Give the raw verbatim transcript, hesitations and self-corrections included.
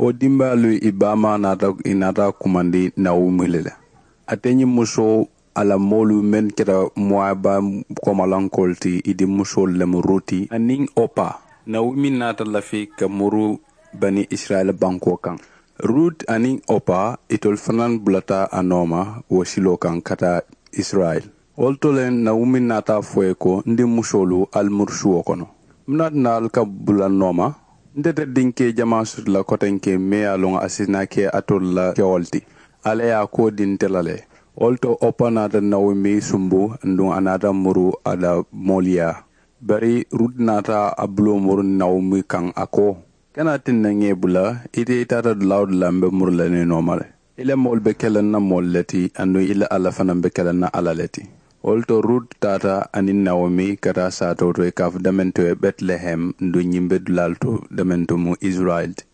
Wo dimbayaalu i baamaa naata i naata a kumandi nawomi le la. Ate ñiŋ musoo a la moolu meŋ keta muwaaba komalankoolu ti i dimmusoolu le mu ruti aniŋ opa. Nawomi naata lafi ka muru bani isirayila bankoo kaŋ. Rut aniŋ opa itolu fanaa bulata a nooma wo siloo kaŋ ka taa isirayila. Wo le to le nawomi naata a fo ì ye ko n dimmusoolu ali muru suwo kono. Muŋ naata na ali ka bula n nooma? Nte te dinke jamaa soto la kotenke mee ye a loŋ a si naa ke alitolu la kewolu ti. Alla ye a koo dii nte la le. Wo le to opa naata nawomi sumbu aduŋ a naata muru a la moolu yaa. Bari rut naata a buloo muru nawomi kaŋ a ko, kana tinna ŋ ye i bula, ite i taata dulaa woo dulaa m be muru la niŋ i nooma le. I la moolu be ke la n na moolu le ti aduŋ i la alla fanaa be ke la n na alla le ti. Wo le to rut taata aniŋ nawomi ka taa saatoo to i ka a fo dementoo ye betilehemu aduŋ ñiŋ be dulaalu to dementoo mu isirayila ti.